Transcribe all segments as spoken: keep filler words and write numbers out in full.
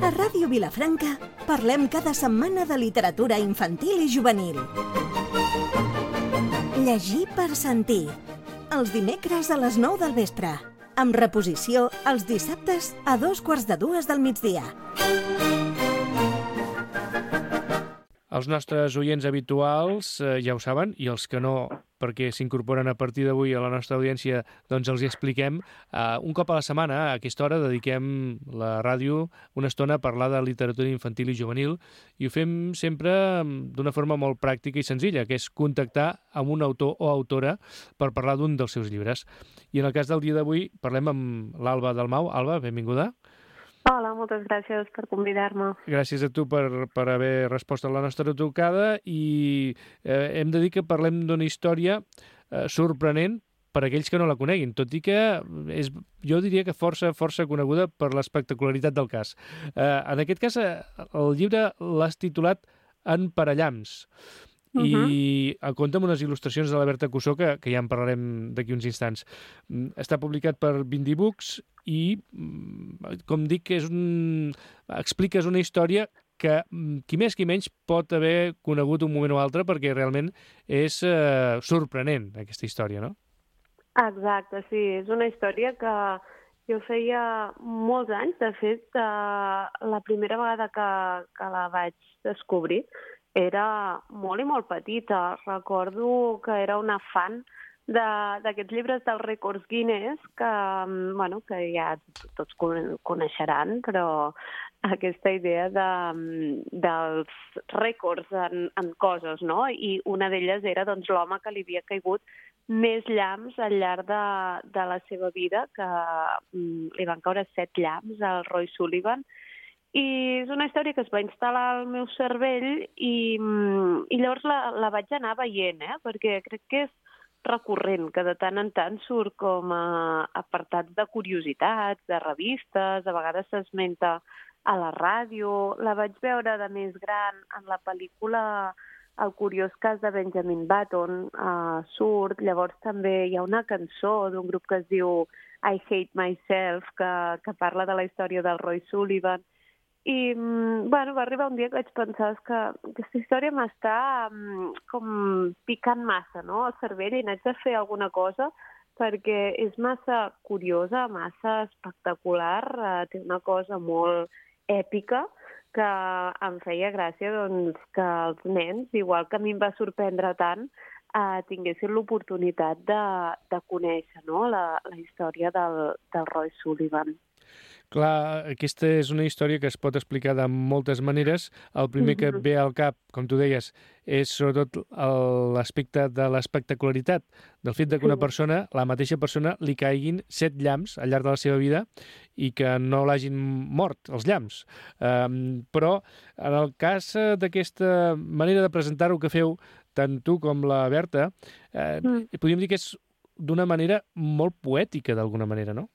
A Ràdio Vilafranca parlem cada setmana de literatura infantil i juvenil. Llegir per sentir. Els dimecres a les nou del vespre. Amb reposició els dissabtes a dos quarts de dues del migdia. Els nostres oients habituals eh, ja ho saben, i els que no, perquè s'incorporen a partir d'avui a la nostra audiència, doncs els hi expliquem. Uh, un cop a la setmana, a aquesta hora, dediquem la ràdio una estona a parlar de literatura infantil i juvenil, i ho fem sempre d'una forma molt pràctica i senzilla, que és contactar amb un autor o autora per parlar d'un dels seus llibres. I en el cas del dia d'avui parlem amb l'Alba Dalmau. Alba, benvinguda. Hola, moltes gràcies per convidar-me. Gràcies a tu per, per haver respost a la nostra trucada i eh, hem de dir que parlem d'una història eh, sorprenent per a aquells que no la coneguin, tot i que és, jo diria que força, força coneguda per l'espectacularitat del cas. Eh, en aquest cas, eh, el llibre l'has titulat En Parellams. Uh -huh. I en compte amb unes il·lustracions de la Berta Cussó, que, que ja en parlarem d'aquí uns instants. Està publicat per Bindi Books i, com dic, és un... expliques una història que qui més qui menys pot haver conegut un moment o altre, perquè realment és eh, sorprenent, aquesta història, no? Exacte, sí. És una història que jo feia molts anys. De fet, eh, la primera vegada que, que la vaig descobrir era molt i molt petita. Recordo que era una fan d'aquests llibres dels rècords Guinness, que, bueno, que ja tots coneixeran, però aquesta idea de, dels rècords en, en coses, no? I una d'elles era doncs, l'home que li havia caigut més llamps al llarg de, de la seva vida, que mm, li van caure set llamps al Roy Sullivan. I és una història que es va instal·lar al meu cervell i, i llavors la, la vaig anar veient, eh? Perquè crec que és recurrent, que de tant en tant surt com a apartats de curiositats, de revistes, a vegades s'esmenta a la ràdio. La vaig veure de més gran en la pel·lícula El curiós cas de Benjamin Button, uh, surt. Llavors també hi ha una cançó d'un grup que es diu I Hate Myself, que, que parla de la història del Roy Sullivan. I, bueno, va arribar un dia que vaig pensar que aquesta història m'està um, com picant massa, no?, al cervell, i n'haig de fer alguna cosa perquè és massa curiosa, massa espectacular, uh, té una cosa molt èpica que em feia gràcia doncs, que els nens, igual que a mi em va sorprendre tant, uh, tinguessin l'oportunitat de, de conèixer, no?, la, la història del, del Roy Sullivan. Clar, aquesta és una història que es pot explicar de moltes maneres. El primer que et ve al cap, com tu deies, és sobretot l'aspecte de l'espectacularitat, del fet de que una persona, la mateixa persona, li caiguin set llamps al llarg de la seva vida i que no l'hagin mort, els llamps. Um, però, en el cas d'aquesta manera de presentar-ho que feu, tant tu com la Berta, eh, mm. podríem dir que és d'una manera molt poètica, d'alguna manera, no?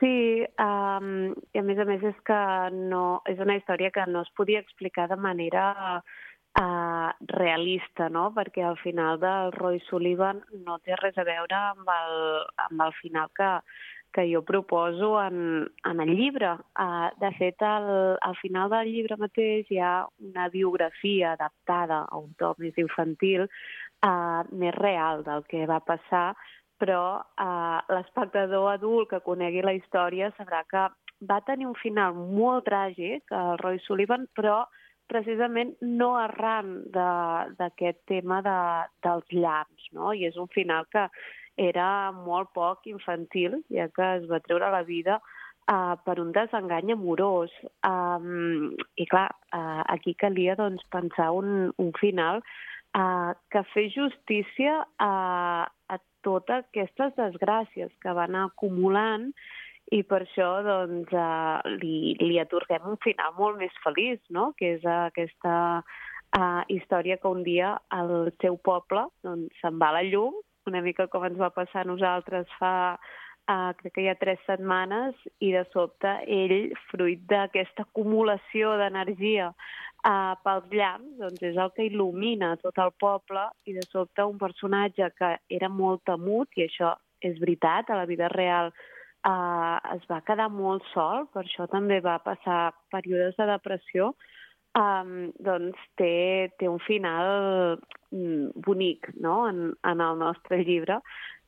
Sí, um, i a més a més és que no, és una història que no es podia explicar de manera uh, realista, no?, perquè al final del Roy Sullivan no té res a veure amb el, amb el final que, que jo proposo en, en el llibre. Uh, de fet, al, al final del llibre mateix hi ha una biografia adaptada a un to més infantil, uh, més real del que va passar, però eh, l'espectador adult que conegui la història sabrà que va tenir un final molt tràgic, el Roy Sullivan, però precisament no arran d'aquest tema de, dels llamps, no? I és un final que era molt poc infantil, ja que es va treure la vida eh, per un desengany amorós. Um, I clar, eh, aquí calia doncs, pensar un, un final eh, que fes justícia a, a totes aquestes desgràcies que van acumulant i per això doncs, uh, li, li atorguem un final molt més feliç, no?, que és uh, aquesta uh, història que un dia el seu poble doncs, se'n va a la llum, una mica com ens va passar a nosaltres fa, uh, crec que hi ha tres setmanes, i de sobte ell, fruit d'aquesta acumulació d'energia Uh, pels llamps, doncs és el que il·lumina tot el poble, i de sobte un personatge que era molt temut, i això és veritat, a la vida real uh, es va quedar molt sol, per això també va passar períodes de depressió, um, doncs té, té un final mm, bonic, no?, en, en el nostre llibre,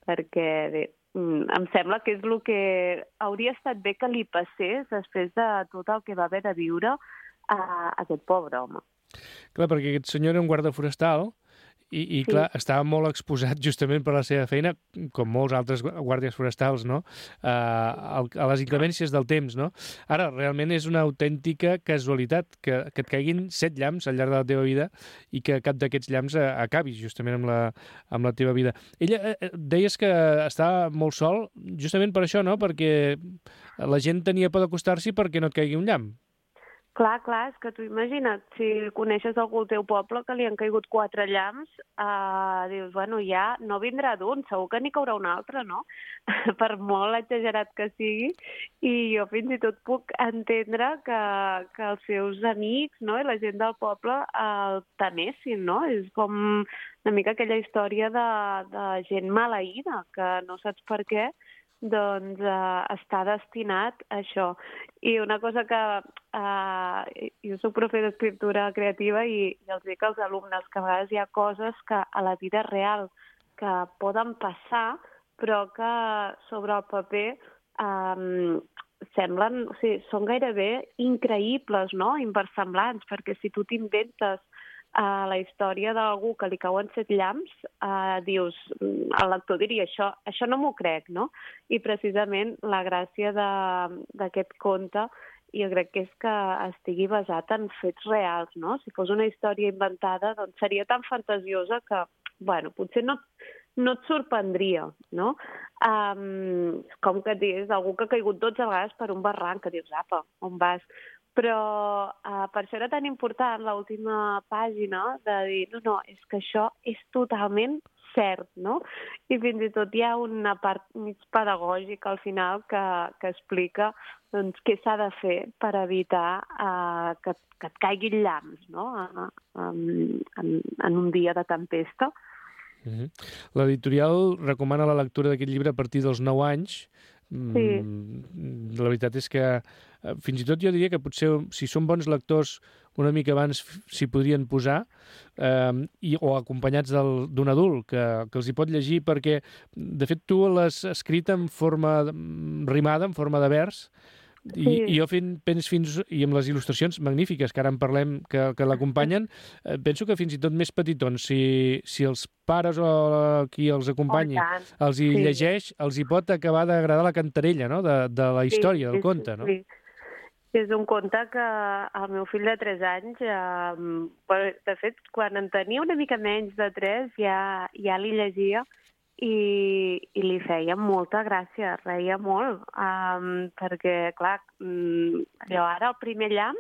perquè bé, mm, em sembla que és el que hauria estat bé que li passés després de tot el que va haver de viure a aquest pobre home. Clar, perquè aquest senyor era un guarda forestal i, i Sí. clar, estava molt exposat justament per la seva feina, com molts altres guàrdies forestals, no?, a, a les inclemències del temps, no? Ara, realment és una autèntica casualitat que, que et caiguin set llamps al llarg de la teva vida i que cap d'aquests llamps acabis justament amb la, amb la teva vida. Ella, eh, deies que estava molt sol justament per això, no?, perquè la gent tenia por d'acostar-s'hi perquè no et caigui un llamp. Clar, clar, és que tu imagina't, si coneixes algú al teu poble que li han caigut quatre llamps, eh, dius, bueno, ja no vindrà d'un, segur que n'hi caurà un altre, no? Per molt exagerat que sigui, i jo fins i tot puc entendre que, que els seus amics, no?, i la gent del poble el temessin, no? És com una mica aquella història de, de gent maleïda, que no saps per què, doncs eh, està destinat a això. I una cosa que eh, jo soc profe d'escriptura creativa i, i els dic als alumnes que a vegades hi ha coses que a la vida real que poden passar, però que sobre el paper eh, semblen, o sigui, són gairebé increïbles, no?, inversemblants, perquè si tu t'inventes a la història d'algú que li cauen set llamps, eh, dius, el lector diria, això, això no m'ho crec, no? I precisament la gràcia d'aquest conte jo crec que és que estigui basat en fets reals, no? Si fos una història inventada, doncs seria tan fantasiosa que, bueno, potser no, no et sorprendria, no? Um, com que et digués, algú que ha caigut dotze vegades per un barranc, que dius, apa, on vas? Però uh, per això era tan important l'última pàgina de dir, no, no, és que això és totalment cert, no? I fins i tot hi ha una part mig pedagògica al final que, que explica doncs, què s'ha de fer per evitar uh, que, que et caiguin llamps, no?, en, en, en un dia de tempesta. Mm-hmm. L'editorial recomana la lectura d'aquest llibre a partir dels nou anys. Sí. Mm, la veritat és que eh, fins i tot jo diria que potser si són bons lectors una mica abans s'hi podrien posar eh, i, o acompanyats del, d'un adult que, que els hi pot llegir perquè de fet tu l'has escrit en forma rimada, en forma de vers. I, Sí. i jo fent, penso fins, i amb les il·lustracions magnífiques que ara en parlem que, que l'acompanyen, eh, penso que fins i tot més petitons, si, si els pares o qui els acompanyi Oh, tant. els hi Sí. llegeix, els hi pot acabar d'agradar la cantarella, no?, de, de la història, Sí, del sí, conte, no? Sí. És un conte que el meu fill de tres anys, eh, de fet, quan en tenia una mica menys de tres, ja, ja li llegia i, i li feia molta gràcia, reia molt, um, perquè, clar, allò ara el primer llamp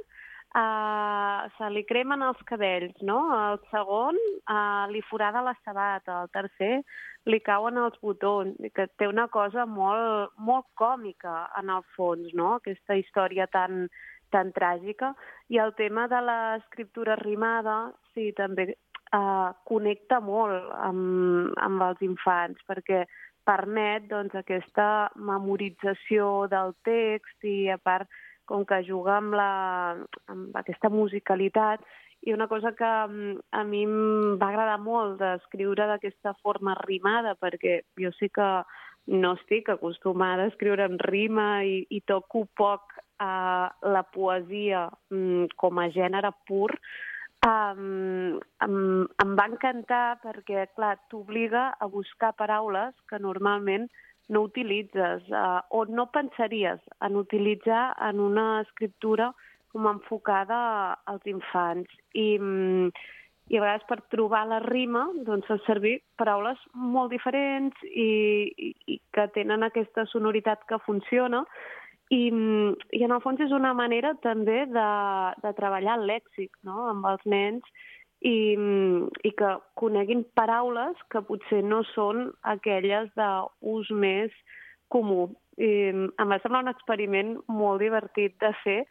uh, se li cremen els cabells, no? El segon uh, li forada la sabata, el tercer li cauen els botons, que té una cosa molt, molt còmica en el fons, no?, aquesta història tan, tan tràgica. I el tema de l'escriptura rimada, sí, també Uh, connecta molt amb, amb els infants perquè permet doncs, aquesta memorització del text i a part com que juga amb, la, amb aquesta musicalitat i una cosa que a mi em va agradar molt d'escriure d'aquesta forma rimada perquè jo sí que no estic acostumada a escriure en rima i, i toco poc uh, la poesia um, com a gènere pur. Um, em, em va encantar perquè, clar, t'obliga a buscar paraules que normalment no utilitzes uh, o no pensaries en utilitzar en una escriptura com enfocada als infants. I, i a vegades per trobar la rima doncs fa servir paraules molt diferents i, i, i que tenen aquesta sonoritat que funciona. I, I en el fons és una manera també de, de treballar el lèxic, no?, amb els nens i, i que coneguin paraules que potser no són aquelles d'ús més comú. I em va semblar un experiment molt divertit de fer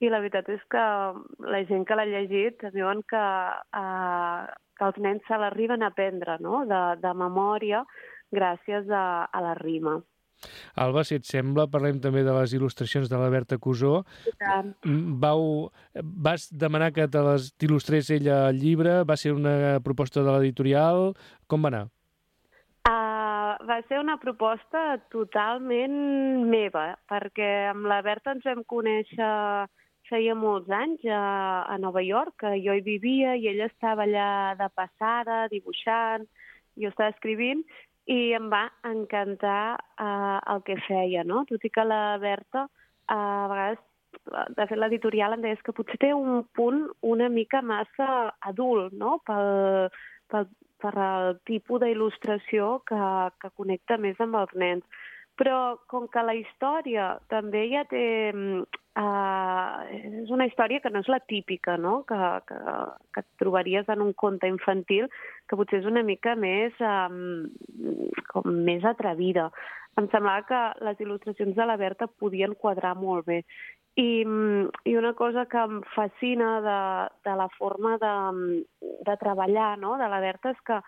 i la veritat és que la gent que l'ha llegit diuen que, eh, que els nens se l'arriben a aprendre, no?, de, de memòria gràcies a, a la rima. Alba, si et sembla, parlem també de les il·lustracions de la Berta Cusó. Vau, vas demanar que te les il·lustrés ella al llibre? Va ser una proposta de l'editorial? Com va anar? Uh, va ser una proposta totalment meva, perquè amb la Berta ens vam conèixer feia molts anys a, a Nova York, que jo hi vivia i ella estava allà de passada, dibuixant, jo estava escrivint, i em va encantar uh, el que feia, no? Tot i que la Berta, uh, a vegades, de fet l'editorial em deies que potser té un punt una mica massa adult, no? Pel, pel, per el tipus d'il·lustració que, que connecta més amb els nens. Però com que la història també ja té... Uh, és una història que no és la típica, no? Que, que, que et trobaries en un conte infantil, que potser és una mica més, um, com més atrevida. Em semblava que les il·lustracions de la Berta podien quadrar molt bé. I, i una cosa que em fascina de, de la forma de, de treballar, no? De la Berta és que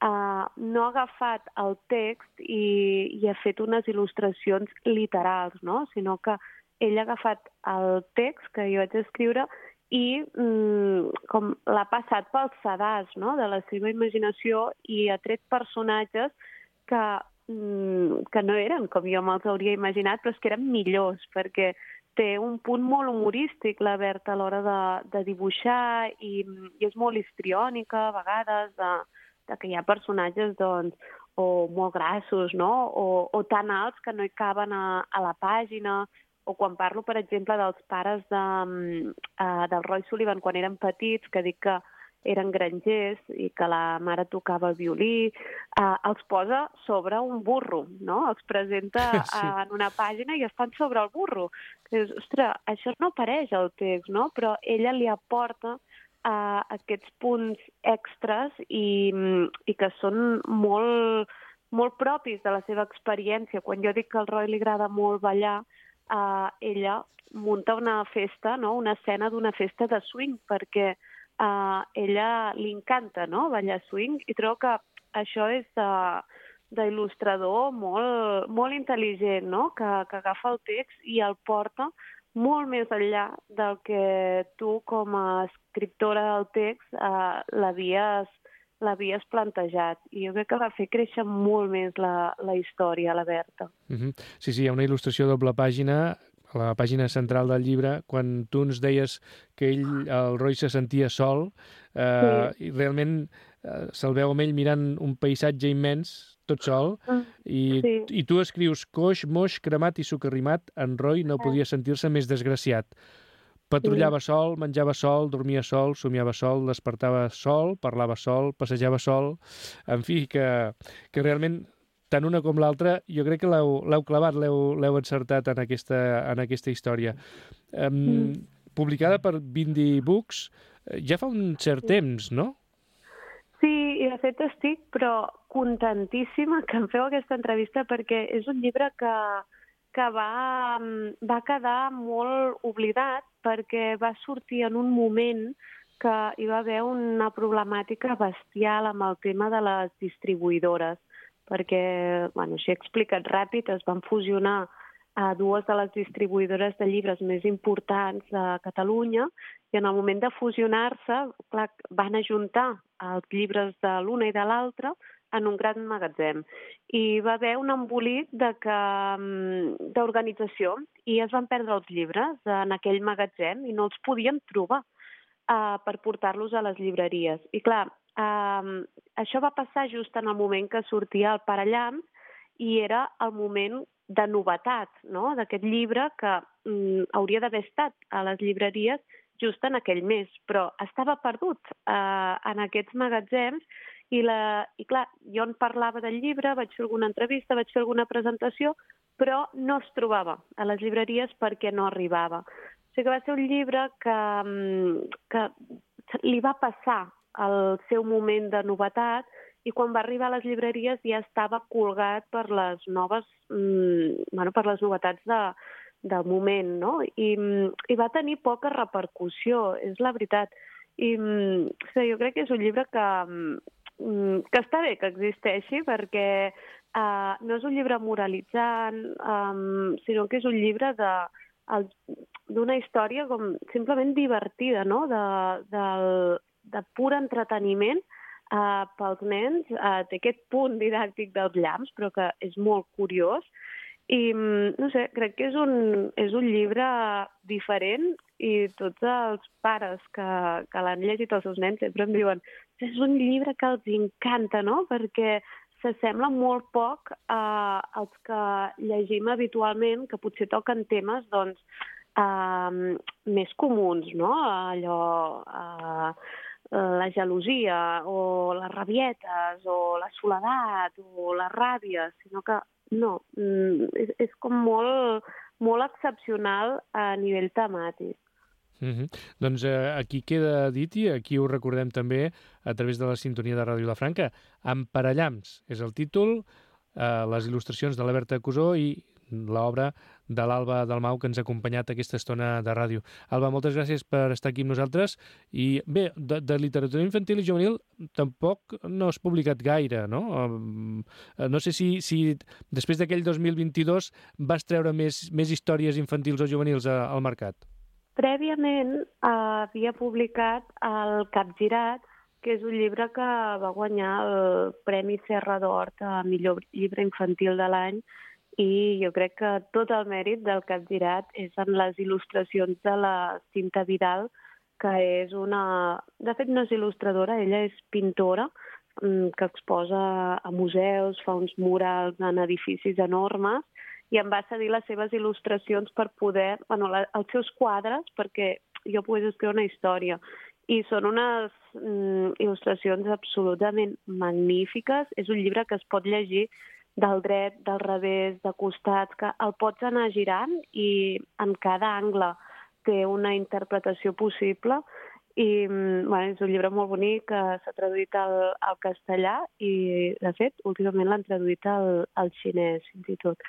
Uh, no ha agafat el text i, i ha fet unes il·lustracions literals, no? Sinó que ell ha agafat el text que jo vaig escriure i mm, com l'ha passat pel sedàs, no? De la seva imaginació, i ha tret personatges que, mm, que no eren com jo me'ls hauria imaginat, però és que eren millors, perquè té un punt molt humorístic la Berta a l'hora de, de dibuixar i, i és molt histriònica a vegades, de de que hi ha personatges doncs, o molt grassos, no? o, o tan alts que no hi caben a, a la pàgina, o quan parlo, per exemple, dels pares de, uh, del Roy Sullivan quan eren petits, que dic que eren grangers i que la mare tocava el violí, uh, els posa sobre un burro, no? Els presenta sí. uh, en una pàgina i estan sobre el burro. Que dius, ostres, això no apareix al text, no? Però ella li aporta Uh, aquests punts extras i, i que són molt, molt propis de la seva experiència. Quan jo dic que al Roy li agrada molt ballar, uh, ella munta una festa, no? Una escena d'una festa de swing, perquè uh, ella li encanta, no? Ballar swing, i trobo que això és uh, d'il·lustrador molt, molt intel·ligent, no? Que, que agafa el text i el porta molt més enllà del que tu com a escriptora del text eh, l'havies l'havies plantejat. I jo crec que va fer créixer molt més la, la història, la Berta. Mm-hmm. Sí, sí, hi ha una il·lustració a doble pàgina, a la pàgina central del llibre, quan tu ens deies que ell, el Roy, se sentia sol, eh, sí. i realment eh, se'l veu amb ell mirant un paisatge immens, tot sol, i, sí. i tu escrius coix, moix, cremat i socarrimat, en Roy no podia sentir-se més desgraciat. Patrullava sí. sol, menjava sol, dormia sol, somiava sol, despertava sol, parlava sol, passejava sol... En fi, que, que realment, tant una com l'altra, jo crec que l'heu clavat, l'heu encertat en aquesta, en aquesta història. Um, mm. Publicada per Bindi Books, ja fa un cert temps, no? Sí, i de fet estic, però contentíssima que em feu aquesta entrevista, perquè és un llibre que, que va, va quedar molt oblidat, perquè va sortir en un moment que hi va haver una problemàtica bestial amb el tema de les distribuïdores, perquè, bueno, així explicat ràpid, es van fusionar a dues de les distribuïdores de llibres més importants de Catalunya, i en el moment de fusionar-se, clar, van ajuntar els llibres de l'una i de l'altra en un gran magatzem. I va haver un embolic d'organització i es van perdre els llibres en aquell magatzem i no els podien trobar uh, per portar-los a les llibreries. I clar, uh, això va passar just en el moment que sortia el Parallamps i era el moment de novetat, no? D'aquest llibre que um, hauria d'haver estat a les llibreries just en aquell mes, però estava perdut uh, en aquests magatzems. I, la, I clar, jo en parlava del llibre, vaig fer alguna entrevista, vaig fer alguna presentació, però no es trobava a les llibreries perquè no arribava. O sigui que va ser un llibre que, que li va passar el seu moment de novetat i quan va arribar a les llibreries ja estava colgat per les noves, bueno, per les novetats de, del moment, no? I, i va tenir poca repercussió, és la veritat. I o sigui, jo crec que és un llibre que... que està bé que existeixi perquè uh, no és un llibre moralitzant, um, sinó que és un llibre de el, d'una història com simplement divertida, no? De, del, de pur entreteniment uh, pels nens. Uh, té aquest punt didàctic dels llamps, però que és molt curiós. I, no sé, crec que és un, és un llibre diferent i tots els pares que, que l'han llegit els seus nens sempre em diuen que és un llibre que els encanta, no? Perquè s'assembla molt poc a, als que llegim habitualment, que potser toquen temes doncs, uh, més comuns, no? Allò... Uh, la gelosia o les rabietes o la soledat o la ràbia, sinó que no, és, és com molt, molt excepcional a nivell temàtic. Mm-hmm. Doncs eh, aquí queda dit i aquí ho recordem també a través de la sintonia de Ràdio Vilafranca. Emparellams és el títol, eh, les il·lustracions de la Berta Cusó i l'obra de l'Alba Dalmau, que ens ha acompanyat aquesta estona de ràdio. Alba, moltes gràcies per estar aquí amb nosaltres. I bé, de, de literatura infantil i juvenil tampoc no has publicat gaire, no? No sé si, si després d'aquell dos mil vint-i-dos vas treure més, més històries infantils o juvenils a, al mercat. Prèviament eh, havia publicat el Capgirat, que és un llibre que va guanyar el Premi Serra d'Or a millor llibre infantil de l'any, i jo crec que tot el mèrit del Capgirat és en les il·lustracions de la Cinta Vidal, que és una... De fet, no és il·lustradora, ella és pintora, que exposa a museus, fa uns murals en edificis enormes, i em va cedir les seves il·lustracions per poder... Bueno, la, els seus quadres, perquè jo pogués escriure una història. I són unes mm, il·lustracions absolutament magnífiques. És un llibre que es pot llegir del dret, del revés, de costats, que el pots anar girant i en cada angle té una interpretació possible. I bueno, és un llibre molt bonic que s'ha traduït al, al castellà i, de fet, últimament l'han traduït al, al xinès, fins i tot.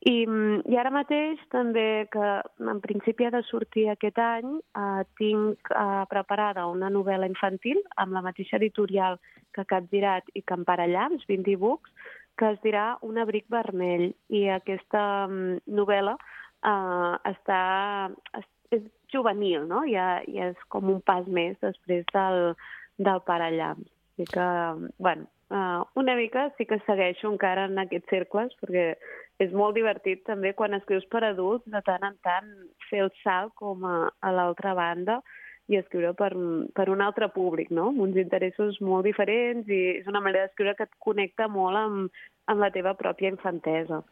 I, I ara mateix també, que en principi ha de sortir aquest any, eh, tinc eh, preparada una novel·la infantil amb la mateixa editorial que Capgirat i que Emparellams, vint e-books, que es dirà Un abric vermell. I aquesta um, novel·la uh, està, és, és juvenil, no? Ja, ja és com un pas més després del, del Parellams. Així que, bueno, uh, una mica sí que segueixo encara en aquests cercles, perquè és molt divertit també quan escrius per adults, de tant en tant fer el salt com a, a l'altra banda i escriure per, per un altre públic, no? Amb uns interessos molt diferents, i és una manera d'escriure que et connecta molt amb, amb la teva pròpia infantesa.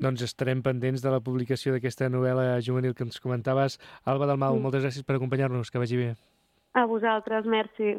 Doncs estarem pendents de la publicació d'aquesta novel·la juvenil que ens comentaves. Alba Dalmau, mm. moltes gràcies per acompanyar-nos, que vagi bé. A vosaltres, merci.